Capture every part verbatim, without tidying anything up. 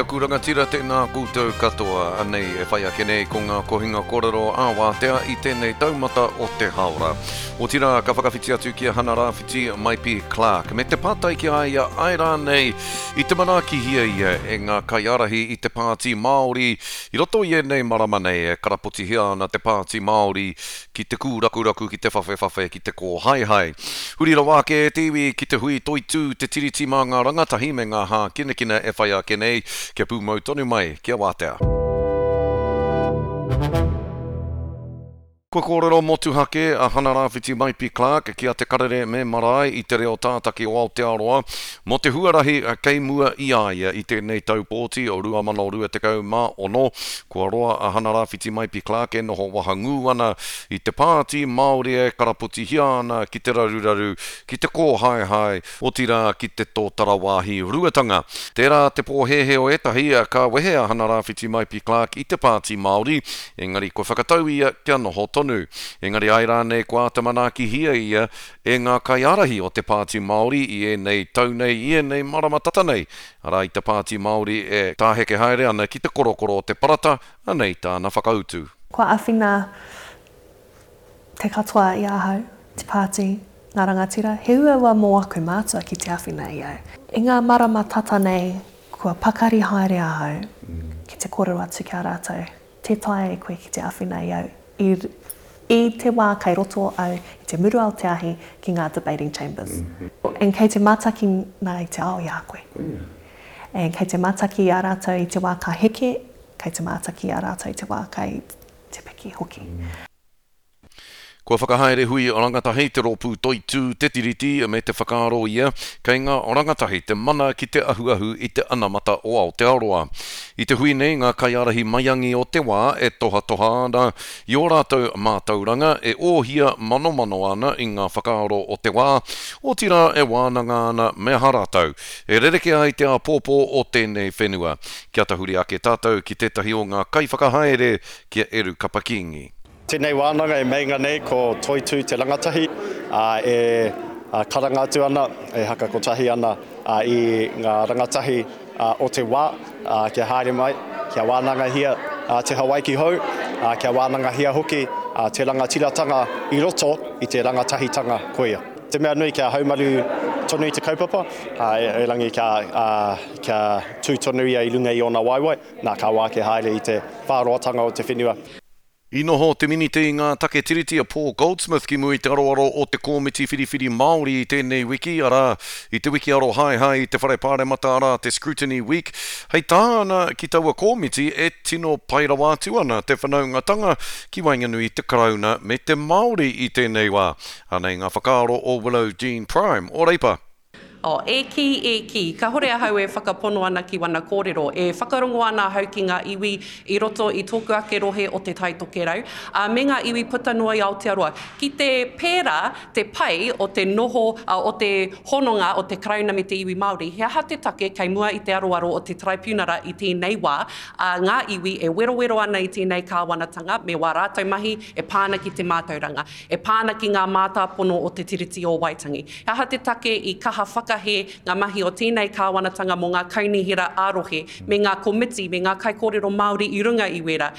aku rangatira, tēnā koutou katoa. Anei e whai ake nei ko ngā kohinga kōrero ā-wātea i tēnei taumata o te haora. Otirā, ka whakawhiti atu ki a Hana Rāwhiti Maipi Clark me te pātai ki a ia āe rānei i te manaakihia ia e ngā kaiārahi i te Pāti Māori i roto i ēnei marama nei e karapotihia ana te Pāti Māori ki te kūrakuraku, ki te whawhewhawhe, ki te kōhaehae. Huri rawa ake e te iwi ki te hui toitū te Tiriti mā ngā rangatahi me ngā hākinakina e whai ake nei, kia pūmau tonu mai, kia wātea. Kua kōrero motuhake a Hana Rāwhiti Maipi Clark ki a Te Karere me Marae i te reo tātaki o Aotearoa mō te huarahi kei mua i a ia i tēnei tau pōti o rua mano rua tekau mā ono. Kua roa a Hana Rāwhiti Maipi Clark e noho wahangū ana i te Pāti Māori e karapotihia ana ki te raruraru, ki te kōhaehae, otirā ki te tōtara wāhi ruatanga. Tērā te pōhēhē o ētahi ka wehe a Hana Rāwhiti Maipi Clark i te Pāti Māori, engari kua whakatau ia kia noho tonu. Engari āe rānei kua āta manaakihia ia e ngā kaiārahi o te Pāti Māori i ēnei tau nei, i ēnei marama tata nei. Arā i te Pāti Māori e tāheke haere ana ki te korokoro o te parata, anei tāna whakautu. Kua āwhina te katoa i ahau, te pāti, ngā rangatira, he uaua mō aku mātua ki te āwhina i au. I ngā marama tata nei, kua pakari haere ahau ki te kōrero atu ki a rātou. Tē taea e koe ki te āwhina i au. I, i te wā kei roto au i te murua o te ahi ki ngā debating chambers. Mm-hmm. And kei te mātaki nā i te ao i a koe. Oh, yeah. And kei te mātaki i a rātou i te wā ka heke, kei te mātaki i a rātou i te wā kei te piki hoki. Mm. Kua whakahaere hui rangatahi te rōpū toitū te Tiriti me te whakaaro ia kei ngā rangatahi te mana ki te ahuahu i te anamata o Aotearoa. I te hui nei ngā kaiārahi maiangi o te wā e tohatoha ana i ō rātou mātauranga e ōhia manomano ana i ngā whakaaro o te wā, otirā e wānanga ana me aha rātou e rereke ai te āpōpō o tēnei whenua. Kia tahuri ake tātou ki tētahi o ngā kaiwhakahaere ki a Eru Kapa Kingi. Tēnei wānanga e meinga nei ko Toitū te rangatahi, ā, e karanga atu ana, e haka kotahi ana i ngā rangatahi o te wā, ā, kia haere mai, kia wānangahia te Hawaiki hou, ā, kia wānangahia hoki te rangatiratanga i roto i te rangatahitanga koia. Te mea nui kia haumaru tonu i te kaupapa, ā, erangi kia, ā, kia tū tonu ia i runga i ōna waewae, nā, ka wāke haere i te whāroatanga o te whenua. I noho te minita i ngā take tiriti a Paul Goldsmith ki mua i te aroaro o te Kōmiti Whiriwhiri Māori i tēnei wiki, arā, i te wiki arohaehae i te Whare Pāremata, arā, te Scrutiny Week. Hei tāna ki taua kōmiti e tino pai rawa atu ana te whanaungatanga ki waenganui i te Karauna me te Māori i tēnei wā. Anei ngā whakaaro o Willow Jean Prime o Reipa. Oh, e kī, e kī, kahore ahau e whakapono ana ki wana kōrero, e whakarongo ana ahau ki ngā iwi i roto i tōku ake rohe o te Tai Tokerau, ā, me ngā iwi puta noa i Aotearoa. Ki te pērā te pai o te noho, ā, o te hononga o te Karauna me te iwi Māori, he aha te take kei mua i te aroaro o te Taraipiunara i tēnei wā, ā, ngā iwi e werowero ana i tēnei kāwanatanga me wā rātou mahi e pā ana ki te mātauranga, e pā ana ki ngā mātāpono o te Tiriti o Waitangi. He aha te take i kaha whakahē ngā mahi o tēnei kāwanatanga mō ngā kaunihera ā-rohe, me ngā komiti, me ngā kaikōrero Māori i runga i wērā?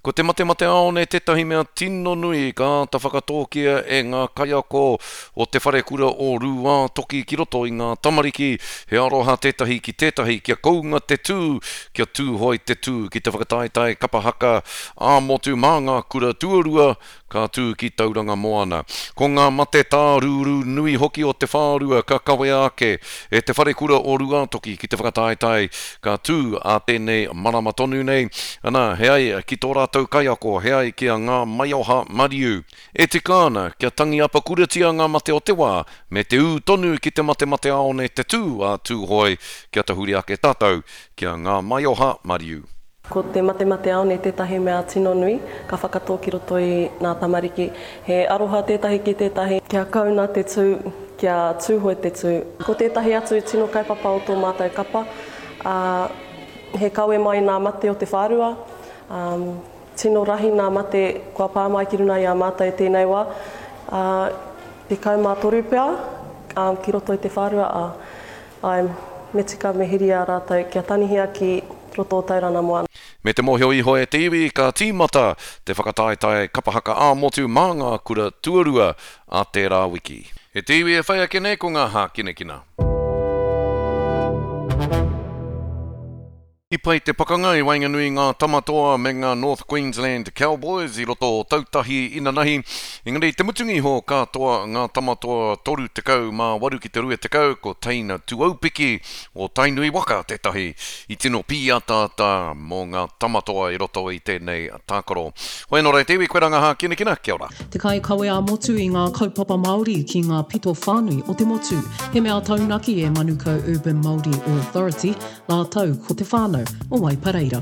Ko te matemateaone tētahi mea tino nui ka āta whakatōkia e ngā kaiako o te wharekura o Rūātoki ki roto i ngā tamariki, he aroha tētahi ki tētahi kia kounga te tū, kia tūhoe te tū ki te whakataetae kapa haka ā-motu mā ngā kura tuarua ka tū ki Tauranga Moana. Ko ngā mate tārūrū nui hoki o te whārua ka kawea ake e te wharekura o Rūātoki ki te whakataetae ka tū ā tēnei marama tonu nei. Ana, he ai ki tō rātou kaiako, he ai ki a Ngā Maioha Mariu. E tika ana kia tangi apakuratia ngā mate o te wā, me te ū tonu ki te matemateaone te tū a Tūhoe, kia tahuri ake tātou ki a Ngā Maioha Mariu. Ko te matemateaone tētahi mea tino nui, ka whakatō ki roto i ngā tamariki. He aroha tētahi ki tētahi, kia kauna te tū, kia tūhoe te tū. Ko tētahi atu tino kaupapa o tō mātou kapa, ā, he kawe mai nā mate o te whārua, ā, tino rahi nā mate kua pā mai ki runga i a mātou tēnei wā, ā, tekau mā toru pea, ā, ki roto i te whārua, ā, ai, me tika me hiri a rātou kia tanihia ki roto o Tauranga Moana. Me te mōhio iho e te iwi, ka tīmata te whakataetae kapa haka ā-motu mā ngā kura tuarua a tērā wiki. E te iwi e whai ake nei ko ngā hākinakina. I pai te pakanga i waenganui i ngā Tamatoa me ngā North Queensland Cowboys i roto o Tautahi inanahi, engari i te mutunga iho ka toa ngā Tamatoa toru tekau mā waru ki te rua tekau, ko Teina Tuaupiki o Tainui waka tētahi i tino pīataata mō ngā Tamatoa i roto i tēnei tākaro. Hoi anō rā e te iwi, koe rā ngā hākinakina, kia ora. Te kaikawe ā-motu i ngā kaupapa Māori ki ngā pito whānui o te motu. He mea taunaki e Manukau Urban Māori Authority rātou ko te whānau o Waipareira.